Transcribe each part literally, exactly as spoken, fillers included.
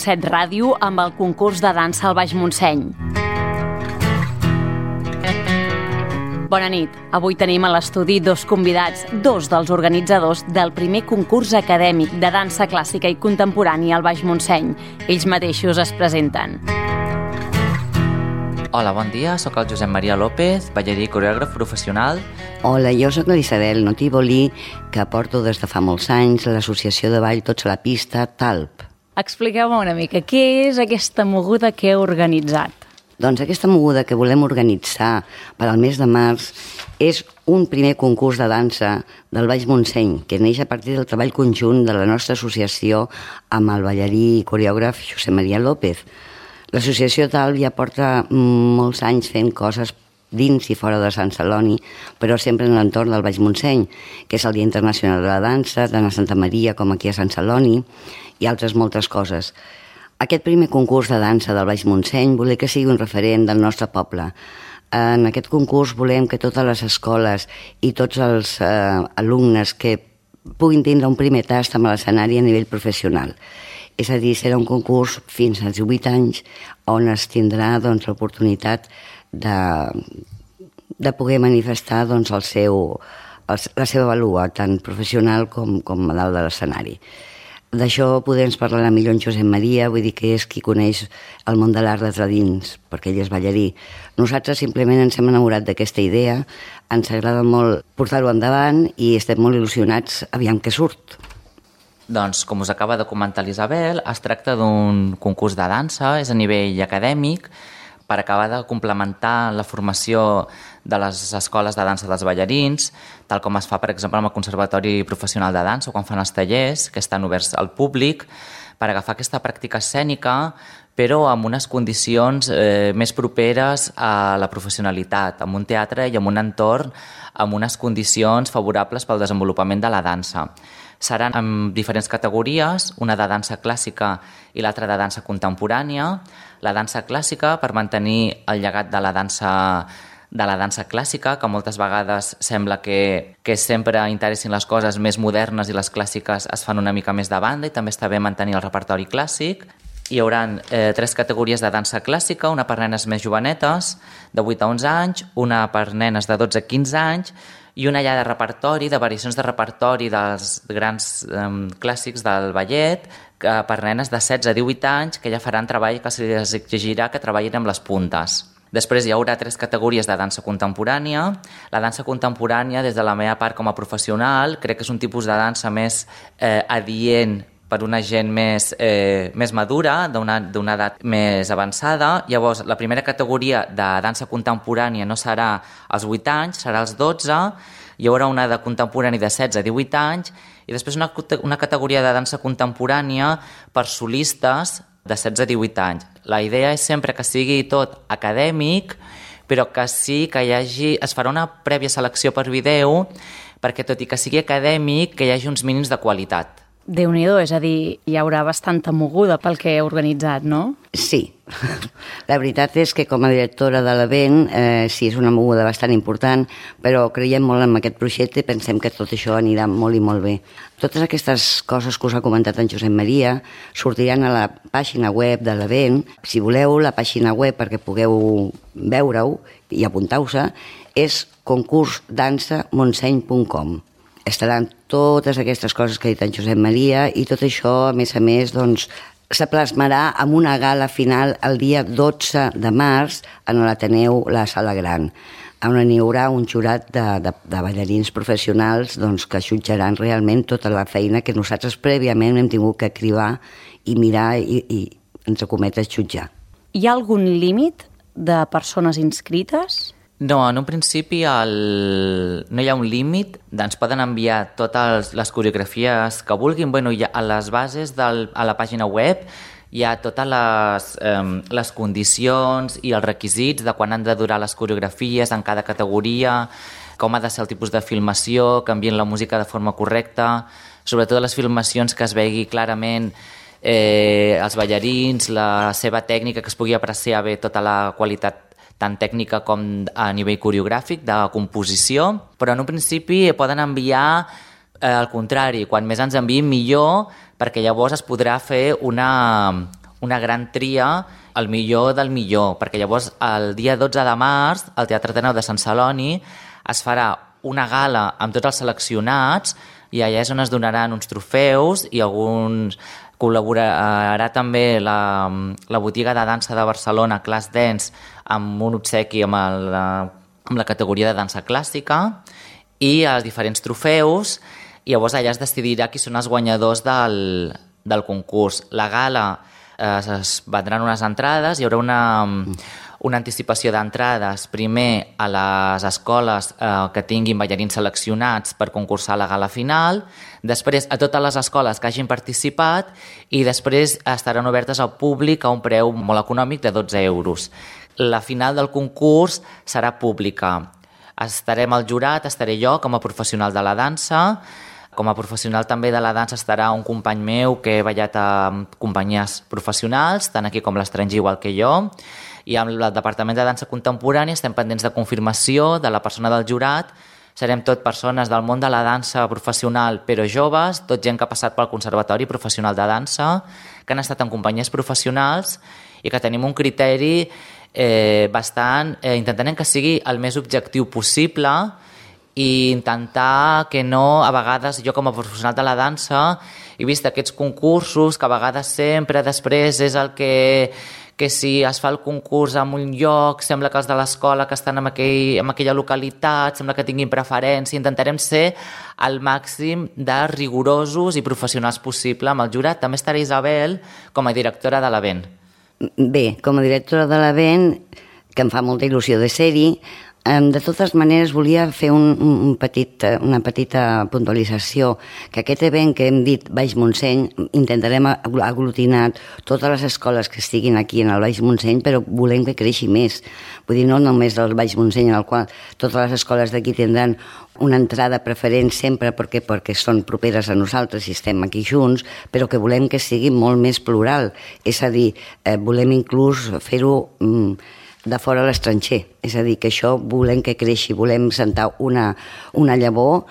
Set Ràdio amb el concurs de dansa al Baix Montseny. Bona nit. Avui tenim a l'estudi dos convidats, dos dels organitzadors del primer concurs acadèmic de dansa clàssica i contemporània al Baix Montseny. Ells mateixos es presenten. Hola, bon dia. Soc el Josep Maria López, ballarí i coreògraf professional. Hola, jo soc l'Isabel Notívoli, que porto des de fa molts anys l'associació de ball Tots a la pista, Talp. Expliqueu-me una mica, què és aquesta moguda que heu organitzat? Doncs aquesta moguda que volem organitzar per al mes de març és un primer concurs de dansa del Baix Montseny, que neix a partir del treball conjunt de la nostra associació amb el ballarí i coreògraf Josep Maria López. L'associació Talp ja porta molts anys fent coses dins i fora de Sant Celoni, però sempre en l'entorn del Baix Montseny, que és el Dia Internacional de la Dansa, tant a Santa Maria com aquí a Sant Celoni, i altres moltes coses. Aquest primer concurs de dansa del Baix Montseny volem que sigui un referent del nostre poble. En aquest concurs volem que totes les escoles i tots els eh, alumnes que puguin tindre un primer tast amb l'escenari a nivell professional. És a dir, serà un concurs fins als divuit anys on es tindrà doncs, l'oportunitat de, de poder manifestar doncs, el seu, el, la seva valua, tant professional com, com a dalt de l'escenari. D'això podem parlar millor en Josep Maria, vull dir que és qui coneix el món de l'art des de dins, perquè ell és ballarí. Nosaltres simplement ens hem enamorat d'aquesta idea, ens agrada molt portar-ho endavant i estem molt il·lusionats aviam què surt. Doncs, com us acaba de comentar l'Isabel, es tracta d'un concurs de dansa, és a nivell acadèmic, per acabar de complementar la formació de les escoles de dansa dels ballarins, tal com es fa, per exemple, amb el Conservatori Professional de Dansa o quan fan els tallers, que estan oberts al públic, per agafar aquesta pràctica escènica, però amb unes condicions eh, més properes a la professionalitat, amb un teatre i amb un entorn amb unes condicions favorables pel desenvolupament de la dansa. Seran en diferents categories, una de dansa clàssica i l'altra de dansa contemporània. La dansa clàssica per mantenir el llegat de la dansa de la dansa clàssica, que moltes vegades sembla que, que sempre interessin les coses més modernes i les clàssiques es fan una mica més de banda i també està bé mantenir el repertori clàssic. Hi haurà eh, tres categories de dansa clàssica, una per nenes més jovenetes, de vuit a onze anys, una per nenes de dotze a quinze anys i una ja de repertori, de variacions de repertori dels grans eh, clàssics del ballet, que per nenes de setze a divuit anys, que ja faran treball que se'ls exigirà que treballin amb les puntes. Després hi haurà tres categories de dansa contemporània. La dansa contemporània, des de la meva part com a professional, crec que és un tipus de dansa més eh, adient per una gent més, eh, més madura, d'una, d'una edat més avançada. Llavors, la primera categoria de dansa contemporània no serà als vuit anys, serà als dotze. Hi haurà una de contemporani de setze a divuit anys i després una, una categoria de dansa contemporània per solistes de setze a divuit anys. La idea és sempre que sigui tot acadèmic, però que sí que hi hagi, es farà una prèvia selecció per vídeo perquè tot i que sigui acadèmic, que hi hagi uns mínims de qualitat. Déu-n'hi-do, és a dir, hi haurà bastanta moguda pel que heu organitzat, no? Sí, la veritat és que com a directora de l'event eh, sí, és una moguda bastant important, però creiem molt en aquest projecte i pensem que tot això anirà molt i molt bé. Totes aquestes coses que us ha comentat en Josep Maria sortiran a la pàgina web de l'event. Si voleu, la pàgina web perquè pugueu veure-ho i apuntar-vos és concurs dansa montseny punt com. Estaran totes aquestes coses que ha dit en Josep Maria i tot això, a més a més, doncs, se plasmarà amb una gala final el dia dotze de març en l'Ateneu La Sala Gran, on hi haurà un jurat de, de, de ballarins professionals doncs, que jutjaran realment tota la feina que nosaltres prèviament hem tingut que cribar i mirar i, i ens acometes jutjar. Hi ha algun límit de persones inscrites? No, en un principi el... no hi ha un límit, ens poden enviar totes les coreografies que vulguin. Bueno, ja a les bases del, a la pàgina web hi ha totes les, eh, les condicions i els requisits de quan han de durar les coreografies en cada categoria, com ha de ser el tipus de filmació, que envien la música de forma correcta, sobretot les filmacions que es vegi clarament eh, els ballarins, la seva tècnica, que es pugui apreciar bé tota la qualitat tant tècnica com a nivell coreogràfic, de composició, però en un principi poden enviar eh, al contrari, quan més ens enviïn millor, perquè llavors es podrà fer una, una gran tria, el millor del millor, perquè llavors el dia dotze de març al Teatre Ateneu de Sant Celoni es farà una gala amb tots els seleccionats i allà és on es donaran uns trofeus i alguns... Col·laborarà també la, la botiga de dansa de Barcelona, Class Dance, amb un obsequi amb, el, amb la categoria de dansa clàssica i els diferents trofeus, i llavors allà es decidirà qui són els guanyadors del, del concurs. La gala eh, es vendran unes entrades, hi haurà una, una anticipació d'entrades primer a les escoles eh, que tinguin ballarins seleccionats per concursar a la gala final, després a totes les escoles que hagin participat i després estaran obertes al públic a un preu molt econòmic de dotze euros. La final del concurs serà pública. Estarem al jurat, estaré jo com a professional de la dansa. Com a professional també de la dansa estarà un company meu que he ballat a companyies professionals, tant aquí com l'estranger igual que jo. I amb el Departament de Dansa Contemporània estem pendents de confirmació de la persona del jurat. Serem tot persones del món de la dansa professional, però joves, tot gent que ha passat pel Conservatori Professional de Dansa, que han estat en companyies professionals i que tenim un criteri eh, bastant... Eh, intentant que sigui el més objectiu possible i intentar que no, a vegades, jo com a professional de la dansa he vist aquests concursos que a vegades sempre després és el que... que si es fa el concurs en un lloc, sembla que els de l'escola que estan en, aquell, en aquella localitat, sembla que tinguin preferència. Intentarem ser al màxim de rigorosos i professionals possible amb el jurat. També estarà Isabel com a directora de l'event. Bé, com a directora de l'event, que em fa molta il·lusió de ser-hi, de totes maneres volia fer un, un petit, una petita puntualització, que aquest event que hem dit Baix Montseny intentarem aglutinar totes les escoles que estiguin aquí en el Baix Montseny, però volem que creixi més. Vull dir, no només del Baix Montseny, en el qual totes les escoles d'aquí tindran una entrada preferent sempre perquè, perquè són properes a nosaltres i estem aquí junts, però que volem que sigui molt més plural. És a dir, eh, volem inclús fer-ho... Mm, de fora a l'estranger. És a dir, que això volem que creixi, volem sentar una, una llavor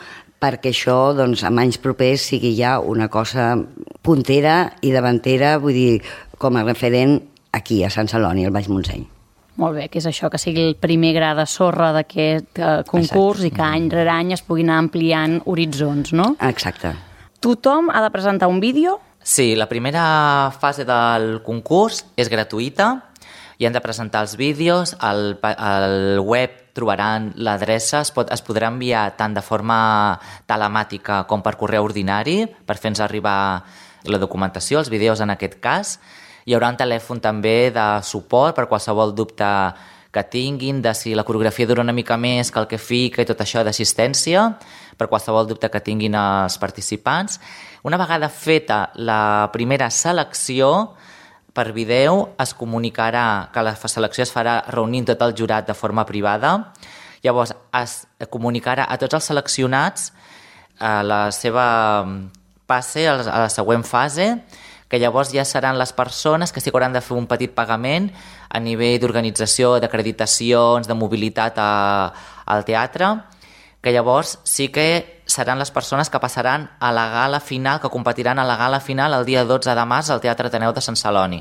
perquè això, doncs, en anys propers sigui ja una cosa puntera i davantera, vull dir, com a referent aquí, a Sant Celoni, al Baix Montseny. Molt bé, que és això, que sigui el primer gra de sorra d'aquest eh, concurs. Exacte. I que any rere any es puguin anar ampliant horitzons, no? Exacte. Tothom ha de presentar un vídeo? Sí, la primera fase del concurs és gratuïta, i han de presentar els vídeos, al, al web trobaran l'adreça, es, pot, es podrà enviar tant de forma telemàtica com per correu ordinari, per fer-nos arribar la documentació, els vídeos en aquest cas. Hi haurà un telèfon també de suport per qualsevol dubte que tinguin, de si la coreografia dura una mica més que el que fica i tot això d'assistència, per qualsevol dubte que tinguin els participants. Una vegada feta la primera selecció, per vídeo es comunicarà que la selecció es farà reunint tot el jurat de forma privada. Llavors es comunicarà a tots els seleccionats a la seva passe, a la següent fase, que llavors ja seran les persones que sí que hauran de fer un petit pagament a nivell d'organització, d'acreditacions, de mobilitat a, al teatre, que llavors sí que seran les persones que passaran a la gala final, que competiran a la gala final el dia dotze de març al Teatre Ateneu de Sant Celoni.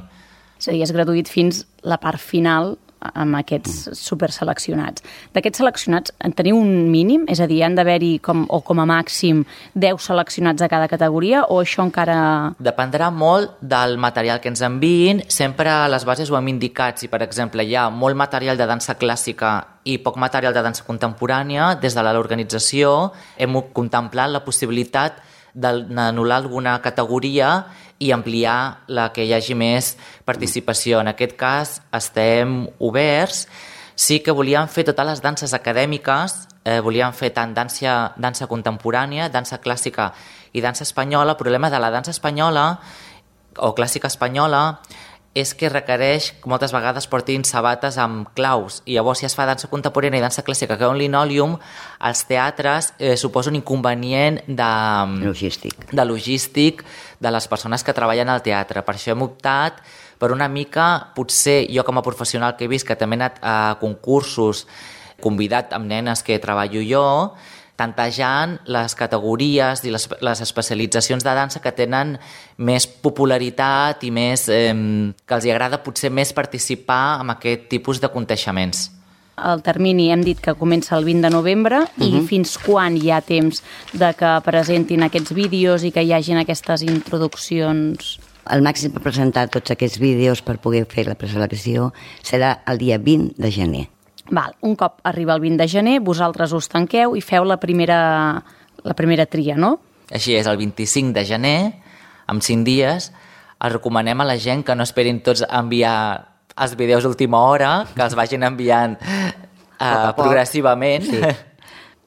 És a dir, és gratuït fins la part final amb aquests superseleccionats. D'aquests seleccionats, en teniu un mínim? És a dir, han d'haver-hi com, o com a màxim deu seleccionats de cada categoria, o això encara... Dependrà molt del material que ens enviïn. Sempre a les bases ho hem indicat. Si, per exemple, hi ha molt material de dansa clàssica i poc material de dansa contemporània, des de l'organització hem contemplat la possibilitat d'anul·lar alguna categoria i ampliar la que hi hagi més participació. En aquest cas estem oberts. Sí que volíem fer totes les danses acadèmiques, eh, volíem fer tant dansa, dansa contemporània, dansa clàssica i dansa espanyola. El problema de la dansa espanyola o clàssica espanyola és que requereix que moltes vegades portin sabates amb claus, i llavors si es fa dansa contemporània i dansa clàssica que un linòleum, als teatres eh, suposa un inconvenient de logístic. de logístic de les persones que treballen al teatre. Per això hem optat per una mica, potser jo com a professional que he vist que també he anat a concursos convidat amb nenes que treballo jo, tantejant les categories i les, les especialitzacions de dansa que tenen més popularitat i més, eh, que els agrada potser més participar en aquest tipus de conteixements. El termini hem dit que comença el vint de novembre i uh-huh. fins quan hi ha temps de que presentin aquests vídeos i que hi hagin aquestes introduccions? El màxim per presentar tots aquests vídeos per poder fer la preselecció serà el dia vint de gener. Val, un cop arriba el vint de gener, vosaltres us tanqueu i feu la primera, la primera tria, no? Així és, el vint-i-cinc de gener, amb cinc dies, els recomanem a la gent que no esperin tots enviar els vídeos d'última hora, que els vagin enviant uh, progressivament, sí.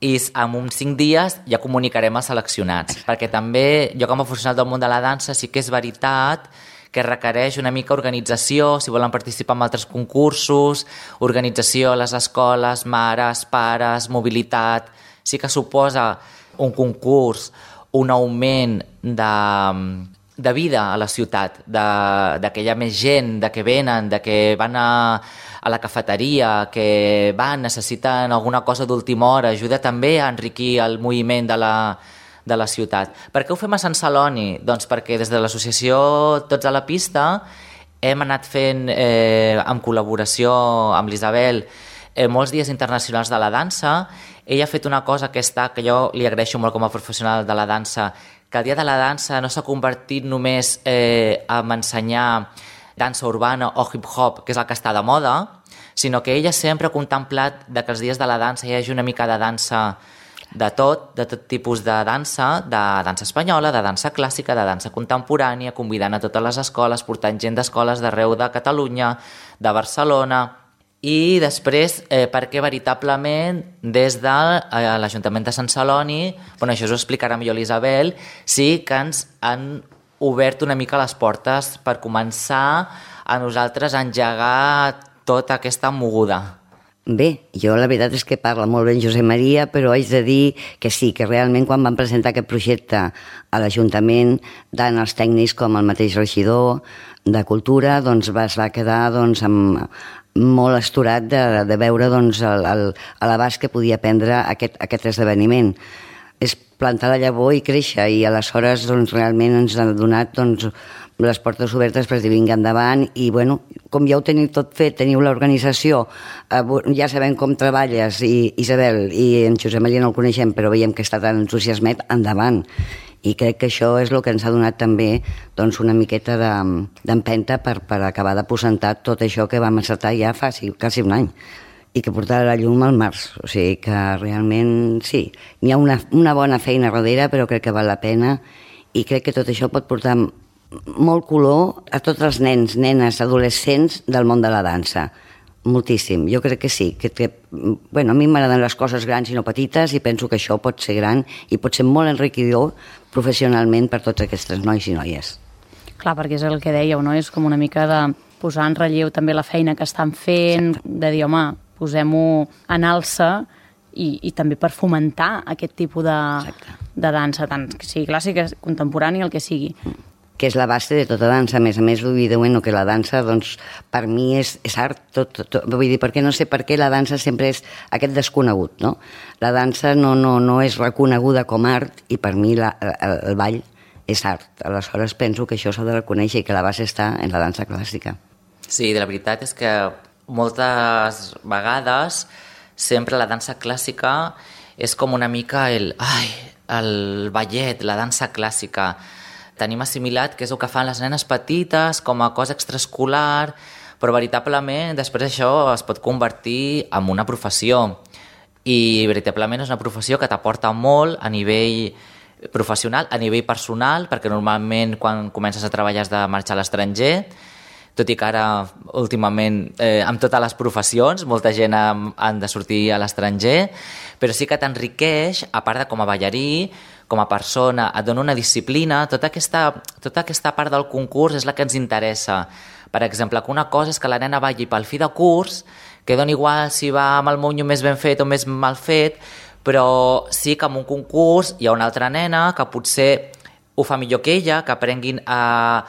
I en uns cinc dies ja comunicarem els seleccionats, perquè també jo com a professional del món de la dansa sí que és veritat que requereix una mica organització, si volen participar en altres concursos, organització a les escoles, mares, pares, mobilitat, sí que suposa un concurs, un augment de... de vida a la ciutat, de, de que hi ha més gent, de que venen, de que van a, a la cafeteria, que van, necessiten alguna cosa d'última hora, ajuda també a enriquir el moviment de la, de la ciutat. Per què ho fem a Sant Celoni? Doncs perquè des de l'associació Tots a la Pista hem anat fent, eh, en col·laboració amb l'Isabel, eh, molts dies internacionals de la dansa. Ella ha fet una cosa que està, que jo li agraeixo molt com a professional de la dansa, que el Dia de la Dansa no s'ha convertit només eh, en ensenyar dansa urbana o hip-hop, que és el que està de moda, sinó que ella sempre ha contemplat de que els dies de la dansa hi hagi una mica de dansa de tot, de tot tipus de dansa, de dansa espanyola, de dansa clàssica, de dansa contemporània, convidant a totes les escoles, portant gent d'escoles d'arreu de Catalunya, de Barcelona. I després, eh, perquè veritablement des de eh, l'Ajuntament de Sant Celoni, bueno, això us ho explicarà millor l'Isabel, sí que ens han obert una mica les portes per començar a nosaltres a engegar tota aquesta moguda. Bé, jo la veritat és que parla molt bé en Josep Maria, però haig de dir que sí, que realment quan van presentar aquest projecte a l'Ajuntament, tant els tècnics com el mateix regidor de Cultura, doncs es va quedar doncs, amb, molt astorat de, de veure doncs, el, el, l'abast que podia prendre aquest, aquest esdeveniment. És plantar la llavor i créixer, i aleshores doncs, realment ens ha donat doncs, les portes obertes per dir vinga endavant, i bueno, com ja ho teniu tot fet, teniu l'organització, eh, ja sabem com treballes, i Isabel i en Josep Maria no el coneixem, però veiem que està tan entusiasmat, endavant. I crec que això és el que ens ha donat també doncs, una miqueta d'empenta per, per acabar de presentar tot això que vam encertar ja fa sí, quasi un any, i que portarà la llum al març. O sigui que realment sí, hi ha una, una bona feina darrere, però crec que val la pena, i crec que tot això pot portar molt color a tots els nens, nenes, adolescents del món de la dansa. Moltíssim, jo crec que sí, que, que, bueno, a mi m'agraden les coses grans i no petites, i penso que això pot ser gran i pot ser molt enriquidor professionalment per tots aquests nois i noies. Clar, perquè és el que dèieu, no? És com una mica de posar en relleu també la feina que estan fent, exacte, de dir, home, posem-ho en alça, i, i també per fomentar aquest tipus de, de dansa, tant que sigui clàssica, contemporània, el que sigui. Mm. Que és la base de tota dansa. A més a més, vull dir, bueno, que la dansa, doncs, per mi és, és art, tot, tot, vull dir, perquè no sé per què la dansa sempre és aquest desconegut, no? La dansa no, no, no és reconeguda com art, i per mi la, el, el ball és art. Aleshores penso que això s'ha de reconèixer i que la base està en la dansa clàssica. Sí, la veritat és que moltes vegades sempre la dansa clàssica és com una mica el, ai, el ballet, la dansa clàssica. Tenim assimilat que és el que fan les nenes petites com a cosa extraescolar, però veritablement després això es pot convertir en una professió, i veritablement és una professió que t'aporta molt a nivell professional, a nivell personal, perquè normalment quan comences a treballar has de marxar a l'estranger, tot i que ara últimament eh, amb totes les professions molta gent han, han de sortir a l'estranger, però sí que t'enriqueix, a part de com a ballarí, com a persona, et dona una disciplina. Tota aquesta, tota aquesta part del concurs és la que ens interessa. Per exemple, que una cosa és que la nena balli pel fi de curs, que dona igual si va amb el monyo més ben fet o més mal fet, però sí que en un concurs hi ha una altra nena que potser ho fa millor que ella, que aprenguin a,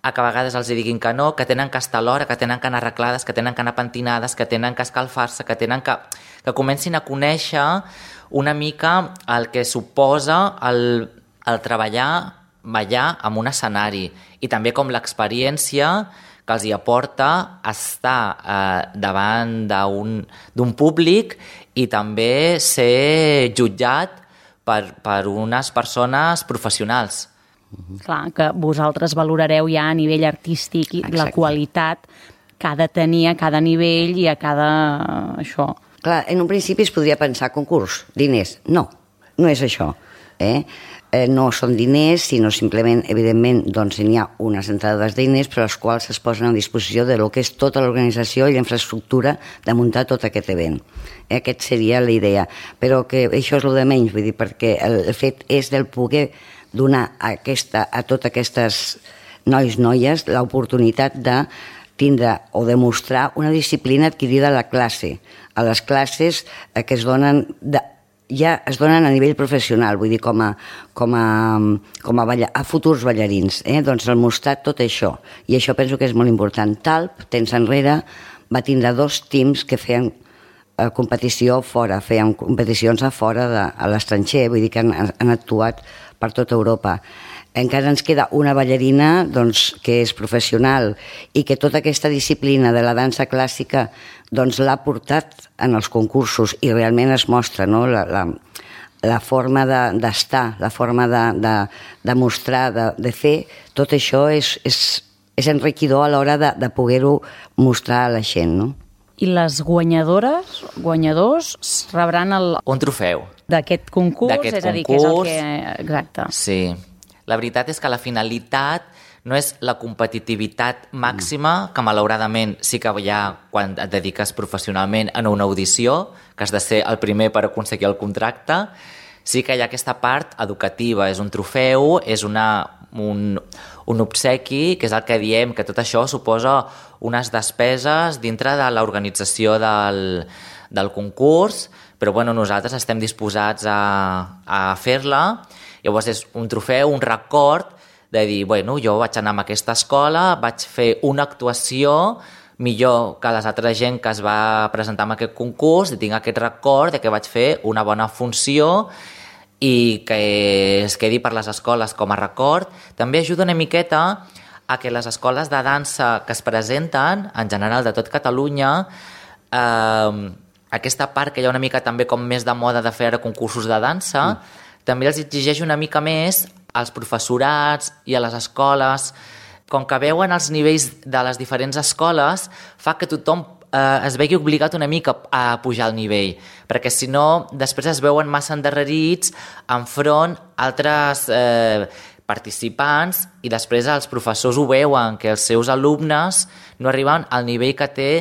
a que a vegades els diguin que no, que tenen que estar a l'hora, que tenen que anar arreglades, que tenen que anar pentinades, que tenen que escalfar-se, que tenen que... que comencin a conèixer una mica el que suposa el, el treballar, ballar en un escenari i també com l'experiència que els hi aporta estar eh, davant d'un públic i també ser jutjat per, per unes persones professionals. Mm-hmm. Clar, que vosaltres valorareu ja a nivell artístic i la qualitat que ha de tenir a cada nivell i a cada... això. Clar, en un principi es podria pensar concurs, diners. No, no és això. Eh? Eh, no són diners, sinó simplement, evidentment, doncs n'hi ha unes entrades de diners, però les quals es posen a disposició de lo que és tota l'organització i la infraestructura de muntar tot aquest event. Eh, aquest seria la idea. Però que això és el de menys, vull dir, perquè el, el fet és del poder donar a, aquesta, a totes aquestes nois, noies, l'oportunitat de tindre o demostrar una disciplina adquirida a la classe, a les classes que es donen de, ja es donen a nivell professional, vull dir, com a, com a, com a, balla, a futurs ballarins. Eh? Doncs el mostrar tot això. I això penso que és molt important. Talp, temps enrere, va tindre dos teams que feien eh, competició fora, feien competicions a fora, de, a l'estranger, vull dir que han, han actuat per tota Europa. Encara ens queda una ballarina doncs, que és professional i que tota aquesta disciplina de la dansa clàssica doncs, l'ha portat en els concursos i realment es mostra, no? la, la, la forma d'estar, de, la forma de, de, de mostrar, de, de fer, tot això és, és, és enriquidor a l'hora de, de poder-ho mostrar a la gent. No? I les guanyadores, guanyadors, rebran el... un trofeu. D'aquest concurs, és a dir, que és el que... Exacte. Sí. La veritat és que la finalitat no és la competitivitat màxima, que malauradament sí que hi ha quan et dediques professionalment a una audició, que has de ser el primer per aconseguir el contracte. Sí que hi ha aquesta part educativa, és un trofeu, és una, un, un obsequi, que és el que diem, que tot això suposa unes despeses dintre de l'organització del, del concurs, però bueno, nosaltres estem disposats a, a fer-la. Llavors és un trofeu, un record de dir, bueno, jo vaig anar a aquesta escola, vaig fer una actuació millor que les altres gent que es va presentar en aquest concurs i tinc aquest record de que vaig fer una bona funció i que es quedi per les escoles com a record. També ajuda una miqueta a que les escoles de dansa que es presenten, en general de tot Catalunya, eh, aquesta part que hi ha una mica també com més de moda de fer concursos de dansa, mm. també els exigeix una mica més als professorats i a les escoles. Com que veuen els nivells de les diferents escoles, fa que tothom eh, es vegi obligat una mica a pujar el nivell, perquè si no, després es veuen massa endarrerits enfront altres eh, participants i després els professors ho veuen, que els seus alumnes no arriben al nivell que té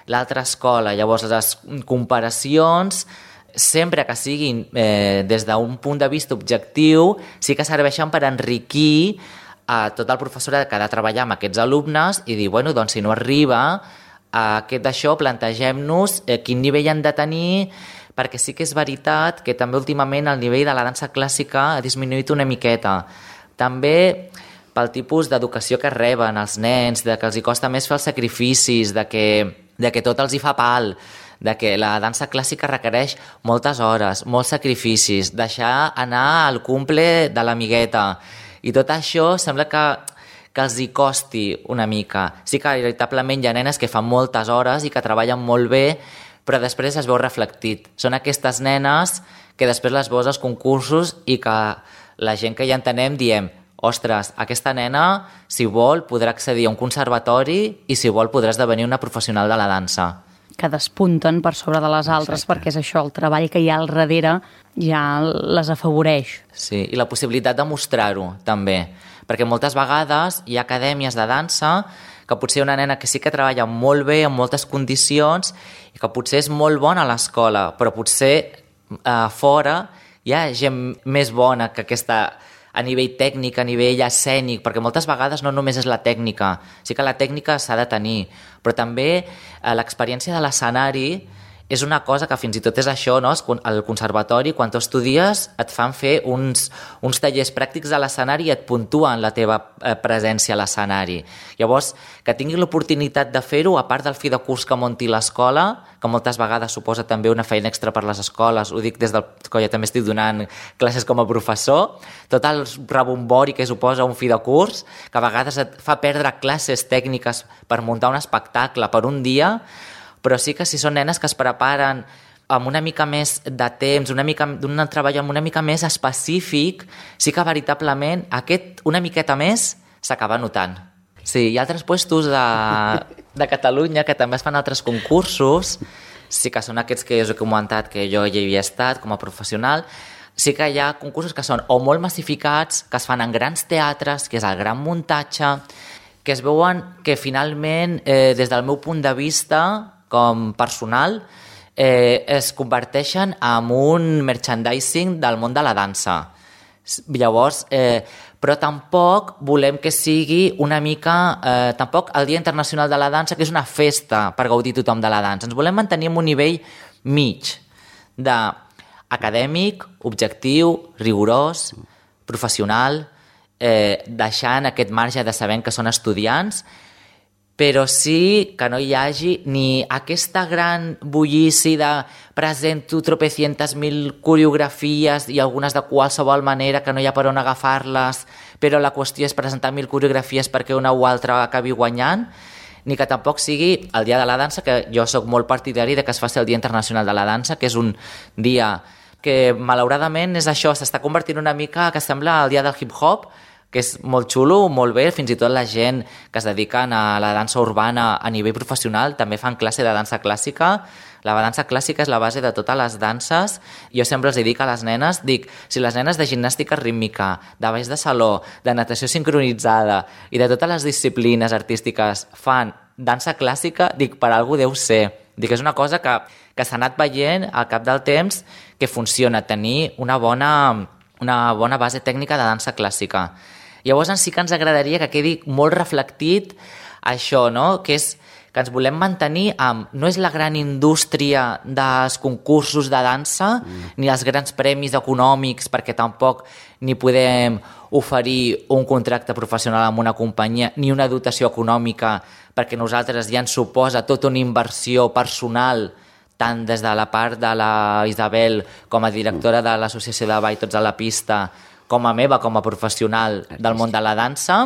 l'altra escola. Llavors, les comparacions, sempre que siguin eh, des d'un punt de vista objectiu, sí que serveixen per enriquir a tot el professorat que ha de treballar amb aquests alumnes i dir, bueno, doncs si no arriba a aquest d'això, plantegem-nos eh, quin nivell han de tenir, perquè sí que és veritat que també últimament el nivell de la dansa clàssica ha disminuït una miqueta. També pel tipus d'educació que reben els nens, de que els hi costa més fer els sacrificis, de que, de que tot els hi fa pal, de que la dansa clàssica requereix moltes hores, molts sacrificis, deixar anar al cumple de l'amigueta. I tot això sembla que, que els hi costi una mica. Sí que veritablement hi ha nenes que fan moltes hores i que treballen molt bé, però després es veu reflectit. Són aquestes nenes que després les veus als concursos i que la gent que ja entenem diem, ostres, aquesta nena, si vol, podrà accedir a un conservatori i si vol podrà esdevenir una professional de la dansa. Que despunten per sobre de les altres. Exacte. Perquè és això, el treball que hi ha al darrere ja les afavoreix. Sí, i la possibilitat de mostrar-ho també, perquè moltes vegades hi ha acadèmies de dansa que potser una nena que sí que treballa molt bé, en moltes condicions, i que potser és molt bona a l'escola, però potser a fora hi ha gent més bona que aquesta a nivell tècnic, a nivell escènic, perquè moltes vegades no només és la tècnica, sí que la tècnica s'ha de tenir, però també eh, l'experiència de l'escenari és una cosa que fins i tot és això, no? Al conservatori, quan tu estudies, et fan fer uns, uns tallers pràctics a l'escenari i et puntuen la teva presència a l'escenari. Llavors, que tingui l'oportunitat de fer-ho, a part del fi de curs que munti l'escola, que moltes vegades suposa també una feina extra per les escoles, ho dic des del que jo també estic donant classes com a professor, tot el rebombori que suposa un fi de curs, que a vegades et fa perdre classes tècniques per muntar un espectacle per un dia, però sí que si són nenes que es preparen amb una mica més de temps, una mica d'un treball amb una mica més específic, sí que veritablement aquest una miqueta més s'acaba notant. Sí, hi ha altres puestos de, de Catalunya que també es fan altres concursos, sí que són aquests que us he comentat que jo hi havia estat com a professional, sí que hi ha concursos que són o molt massificats, que es fan en grans teatres, que és el gran muntatge, que es veuen que finalment, eh, des del meu punt de vista com personal, eh, es converteixen en un merchandising del món de la dansa. Llavors, eh, però tampoc volem que sigui una mica, eh, tampoc el Dia Internacional de la Dansa, que és una festa per gaudir tothom de la dansa. Ens volem mantenir en un nivell mig d'acadèmic, objectiu, rigorós, professional, eh, deixant aquest marge de saber que són estudiants, però sí que no hi hagi ni aquesta gran bullici de presento tropecientes mil coreografies i algunes de qualsevol manera que no hi ha per on agafar-les, però la qüestió és presentar mil coreografies perquè una o altra acabi guanyant, ni que tampoc sigui el Dia de la Dansa, que jo sóc molt partidari de que es faci el Dia Internacional de la Dansa, que és un dia que malauradament és això, s'està convertint una mica que sembla el dia del hip-hop, que és molt xulo, molt bé, fins i tot la gent que es dediquen a la dansa urbana a nivell professional també fan classe de dansa clàssica. La dansa clàssica és la base de totes les danses. Jo sempre els dic a les nenes, dic, si les nenes de gimnàstica rítmica, de balls de saló, de natació sincronitzada i de totes les disciplines artístiques fan dansa clàssica, dic, per algú deu ser. Dic, és una cosa que, que s'ha anat veient al cap del temps que funciona, tenir una bona, una bona base tècnica de dansa clàssica. Llavors sí que ens agradaria que quedi molt reflectit això, no? Que és que ens volem mantenir amb... No és la gran indústria dels concursos de dansa, mm. ni els grans premis econòmics, perquè tampoc ni podem oferir un contracte professional amb una companyia, ni una dotació econòmica, perquè nosaltres ja ens suposa tota una inversió personal, tant des de la part de la Isabel com a directora de l'Associació de Ball Tots a la Pista, com a meva, com a professional del món de la dansa,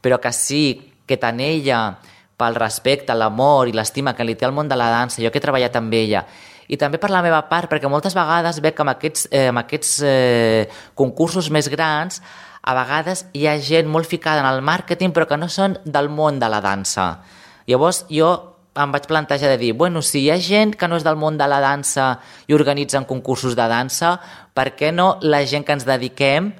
però que sí que tant ella, pel respecte, l'amor i l'estima que li té al món de la dansa, jo que he treballat amb ella, i també per la meva part, perquè moltes vegades veig que amb aquests, eh, amb aquests eh, concursos més grans, a vegades hi ha gent molt ficada en el màrqueting, però que no són del món de la dansa. Llavors jo em vaig plantejar de dir, bueno, si hi ha gent que no és del món de la dansa i organitzen concursos de dansa, per què no la gent que ens dediquem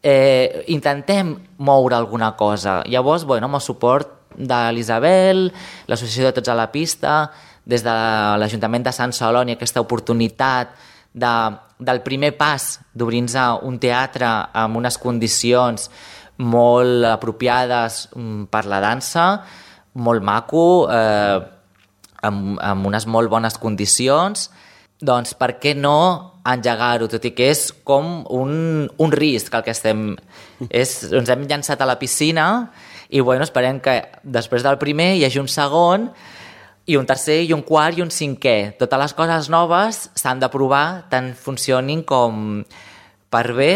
eh, intentem moure alguna cosa? Llavors, bueno, amb el suport de l'Isabel, l'Associació de Tots a la Pista, des de l'Ajuntament de Sant Celoni, aquesta oportunitat de, del primer pas d'obrir-nos un teatre amb unes condicions molt apropiades per la dansa, molt maco, eh, amb, amb unes molt bones condicions, doncs per què no engegar-ho, tot i que és com un, un risc el que estem... És, ens hem llançat a la piscina i bueno, esperem que després del primer hi hagi un segon i un tercer i un quart i un cinquè. Totes les coses noves s'han de provar, tant funcionin com per bé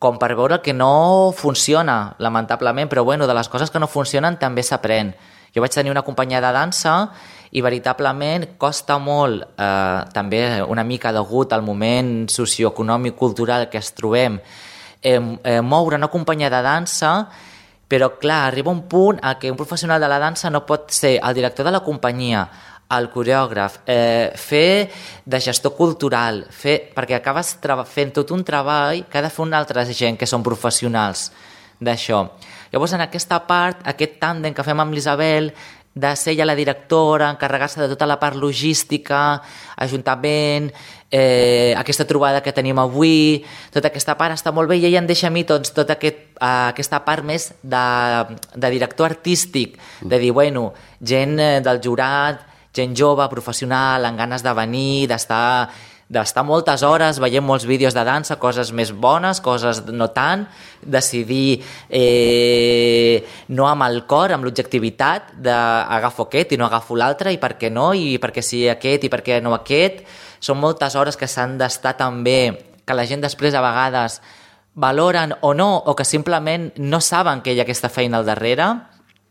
com per veure que no funciona, lamentablement, però bueno, de les coses que no funcionen també s'aprèn. Jo vaig tenir una companyia de dansa i veritablement costa molt, eh, també una mica degut al moment socioeconòmic, cultural que es trobem, eh, eh, moure una companyia de dansa, però clar, arriba un punt a què un professional de la dansa no pot ser el director de la companyia, el coreògraf, eh, fer de gestor cultural, fer, perquè acabes fent tot un treball que ha de fer una altra gent que són professionals d'això. Llavors, en aquesta part, aquest tàndem que fem amb l'Isabel, de ser ella la directora, encarregar-se de tota la part logística, ajuntament, eh, aquesta trobada que tenim avui, tota aquesta part està molt bé i ella em deixa a mi doncs, tota aquest, eh, aquesta part més de, de director artístic, de dir, bueno, gent del jurat, gent jove, professional, amb ganes de venir, d'estar d'estar moltes hores veient molts vídeos de dansa, coses més bones, coses no tant, decidir eh, no amb el cor, amb l'objectivitat d'agafo aquest i no agafo l'altre, i per què no, i per què sí aquest i per què no aquest. Són moltes hores que s'han d'estar també, que la gent després a vegades valoren o no, o que simplement no saben que hi ha aquesta feina al darrere.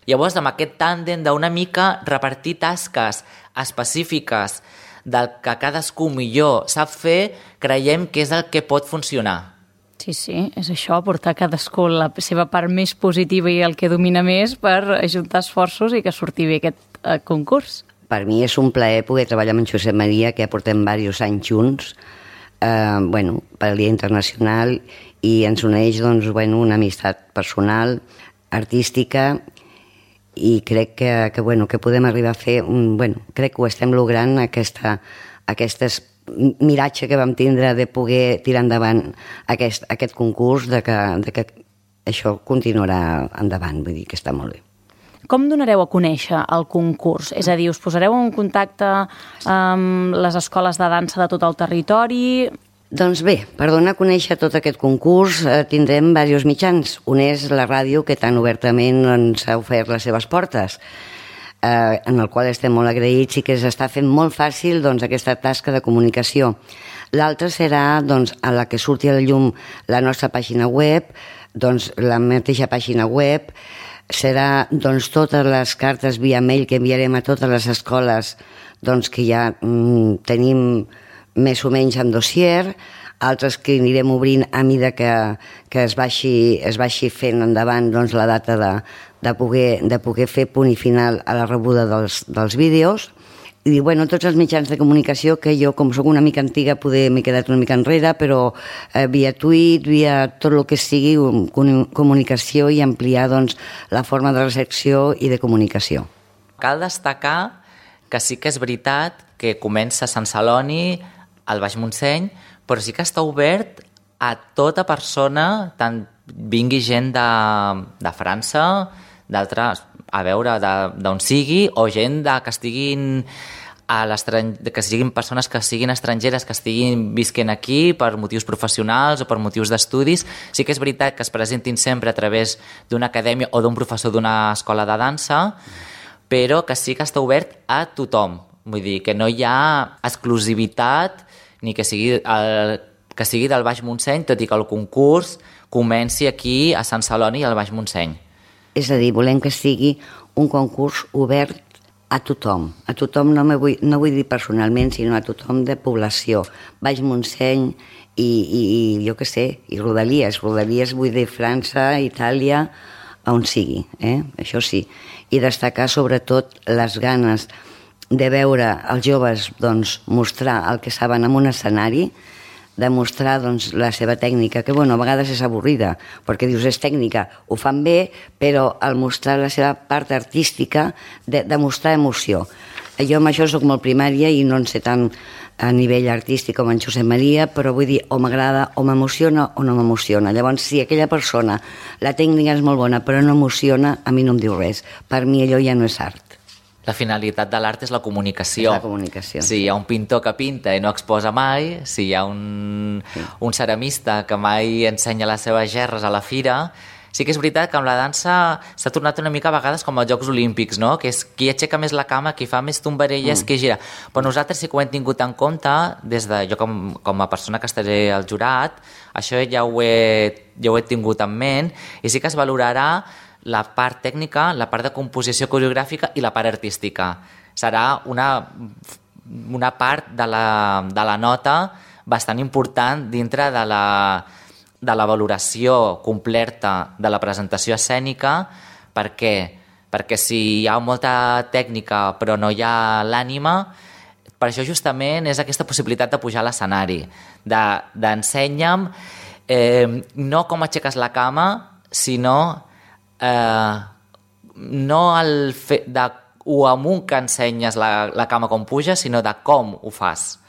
Llavors, amb aquest tàndem d'una mica repartir tasques específiques del que cadascú millor sap fer, creiem que és el que pot funcionar. Sí, sí, és això, portar cadascú la seva part més positiva i el que domina més per ajuntar esforços i que surti bé aquest eh, concurs. Per mi és un plaer poder treballar amb en Josep Maria, que ja portem diversos anys junts, eh, bueno, per el Dia Internacional, i ens uneix doncs, bueno, una amistat personal, artística, i crec que, que, bueno, que podem arribar a fer, un, bueno, crec que ho estem logrant, aquesta, aquestes miratge que vam tindre de poder tirar endavant aquest, aquest concurs, de que, de que això continuarà endavant, vull dir que està molt bé. Com donareu a conèixer el concurs? És a dir, us posareu en contacte amb les escoles de dansa de tot el territori? Doncs bé, per donar a conèixer tot aquest concurs eh, tindrem diversos mitjans. Un és la ràdio, que tan obertament ens ha ofert les seves portes, eh, en el qual estem molt agraïts i que s'està fent molt fàcil doncs, aquesta tasca de comunicació. L'altra serà doncs, a la que surti a la llum la nostra pàgina web, doncs, la mateixa pàgina web, serà doncs, totes les cartes via mail que enviarem a totes les escoles doncs, que ja mm, tenim més o menys en dossier, altres que anirem obrint a mida que, que es, vagi, es vagi fent endavant doncs, la data de, de, poder, de poder fer punt i final a la rebuda dels, dels vídeos. I bueno, tots els mitjans de comunicació que jo, com sóc una mica antiga, poder m'he quedat una mica enrere, però eh, via tuit, via tot el que sigui comunicació i ampliar doncs, la forma de recepció i de comunicació. Cal destacar que sí que és veritat que comença a Sant Celoni, al Baix Montseny, però sí que està obert a tota persona, tant vingui gent de, de França, d'altres, a veure, d'on sigui, o gent de, que estiguin a que siguin persones que siguin estrangeres, que estiguin visquent aquí per motius professionals o per motius d'estudis. Sí que és veritat que es presentin sempre a través d'una acadèmia o d'un professor d'una escola de dansa, però que sí que està obert a tothom. Vull dir, que no hi ha exclusivitat ni que sigui, el, que sigui del Baix Montseny, tot i que el concurs comenci aquí a Sant Celoni i al Baix Montseny. És a dir, volem que sigui un concurs obert a tothom. A tothom no, vull, no vull dir personalment, sinó a tothom de població. Baix Montseny i, i, i jo què sé, i Rodalies. Rodalies vull dir França, Itàlia, on sigui, eh? Això sí. I destacar sobretot les ganes de veure els joves doncs, mostrar el que saben en un escenari, de mostrar doncs, la seva tècnica, que bueno, a vegades és avorrida, perquè dius és tècnica, ho fan bé, però al mostrar la seva part artística, de, de mostrar emoció. Jo amb això soc molt primària i no en sé tant a nivell artístic com en Josep Maria, però vull dir, o m'agrada, o m'emociona, o no m'emociona. Llavors, si aquella persona, la tècnica és molt bona, però no emociona, a mi no em diu res. Per mi allò ja no és art. La finalitat de l'art és la comunicació. És la comunicació. Si hi ha un pintor que pinta i no exposa mai, si hi ha un, sí. un ceramista que mai ensenya les seves gerres a la fira, sí que és veritat que amb la dansa s'ha tornat una mica a vegades com als Jocs Olímpics, no? Que és qui aixeca més la cama, qui fa més tombarelles, mm. qui gira. Però nosaltres sí que ho hem tingut en compte, des de jo com, com a persona que estaré al jurat, això ja ho, he, ja ho he tingut en ment, i sí que es valorarà la part tècnica, la part de composició coreogràfica i la part artística. Serà una, una part de la, de la nota bastant important dintre de la, de la valoració completa de la presentació escènica. Per què? Perquè si hi ha molta tècnica però no hi ha l'ànima, per això justament és aquesta possibilitat de pujar a l'escenari, d'ensenya'm eh, no com aixeques la cama, sinó Eh, no el fet de o amunt que ensenyes la, la cama com puja, sinó de com ho fas.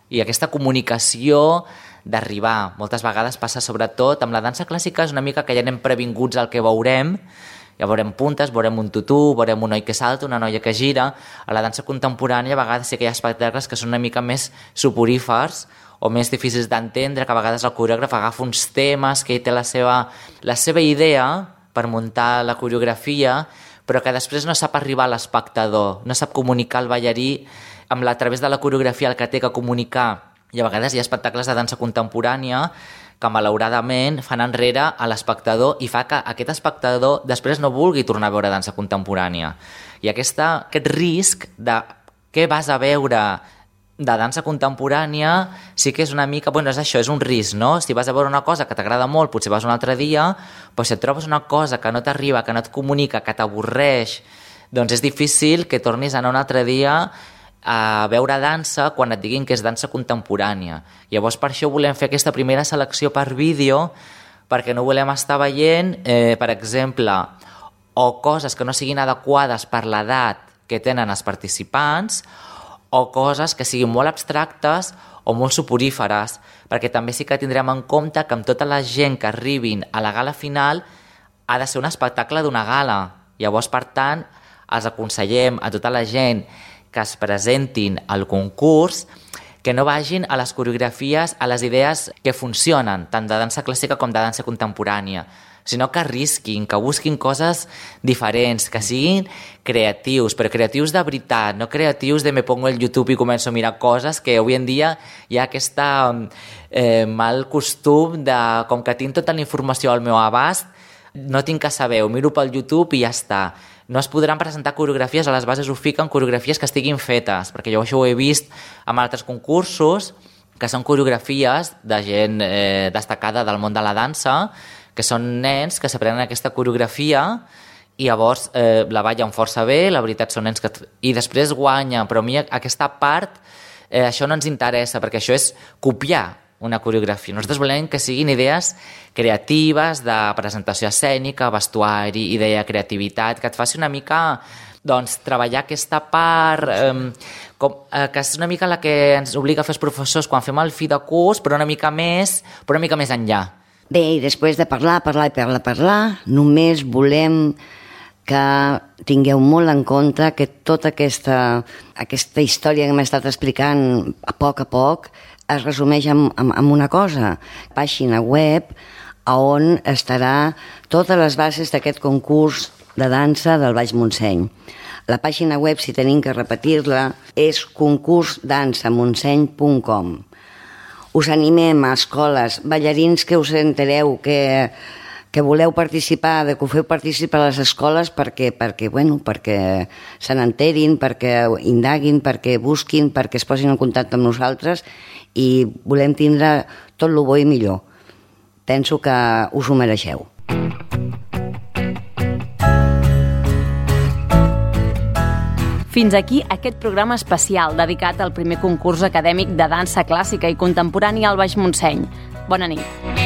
I aquesta comunicació d'arribar, moltes vegades passa sobretot amb la dansa clàssica, és una mica que ja anem previnguts al que veurem, Ja veurem puntes, veurem un tutú, veurem un noi que salta, una noia que gira. A la dansa contemporània a vegades sí que hi ha espectacles que són una mica més soporífers o més difícils d'entendre, que a vegades el coreògraf agafa uns temes, que ell té la seva, la seva idea per muntar la coreografia, però que després no sap arribar a l'espectador, no sap comunicar al ballarí amb la, a través de la coreografia el que té que comunicar. I a vegades hi ha espectacles de dansa contemporània que malauradament fan enrere a l'espectador i fa que aquest espectador després no vulgui tornar a veure dansa contemporània. I aquesta, aquest risc de què vas a veure de dansa contemporània sí que és una mica, bueno, és això, és un risc, no? Si vas a veure una cosa que t'agrada molt, potser vas un altre dia, però si et trobes una cosa que no t'arriba, que no et comunica, que t'avorreix, doncs és difícil que tornis a anar un altre dia a veure dansa quan et diguin que és dansa contemporània. Llavors per això volem fer aquesta primera selecció per vídeo, perquè no volem estar veient, eh, per exemple, o coses que no siguin adequades per l'edat que tenen els participants, o coses que siguin molt abstractes o molt soporíferes, perquè també sí que tindrem en compte que amb tota la gent que arribin a la gala final ha de ser un espectacle d'una gala. Llavors, per tant, els aconsellem a tota la gent que es presentin al concurs que no vagin a les coreografies, a les idees que funcionen, tant de dansa clàssica com de dansa contemporània, sinó que arrisquin, que busquin coses diferents, que siguin creatius, però creatius de veritat, no creatius de me pongo el YouTube i començo a mirar coses, que avui en dia hi ha aquest eh, mal costum de, com que tinc tota la informació al meu abast, no tinc que saber, ho miro pel YouTube i ja està. No es podran presentar coreografies, a les bases ho fiquen coreografies que estiguin fetes, perquè jo això ho he vist amb altres concursos, que són coreografies de gent eh, destacada del món de la dansa, que són nens que s'aprenen aquesta coreografia i llavors eh, la ballen força bé, la veritat són nens que... i després guanyen, però a mi aquesta part, eh, això no ens interessa, perquè això és copiar una coreografia. Nosaltres volem que siguin idees creatives, de presentació escènica, vestuari, idea de creativitat, que et faci una mica doncs, treballar aquesta part, eh, com, eh, que és una mica la que ens obliga a fer els professors quan fem el fi de curs, però una mica més, però una mica més enllà. Bé, i després de parlar, parlar i parlar, parlar, només volem que tingueu molt en compte que tota aquesta, aquesta història que hem estat explicant a poc a poc es resumeix en, en, en una cosa, pàgina web on estarà totes les bases d'aquest concurs de dansa del Baix Montseny. La pàgina web, si tenim que repetir-la, és concurs dansa montseny punt com. Us animem a escoles, ballarins que us entereu, que, que voleu participar, de que ho feu participar a les escoles perquè, perquè, bueno, perquè se n'enterin, perquè indaguin, perquè busquin, perquè es posin en contacte amb nosaltres i volem tindre tot el bo i millor. Penso que us ho mereixeu. Fins aquí aquest programa especial dedicat al primer concurs acadèmic de dansa clàssica i contemporània al Baix Montseny. Bona nit.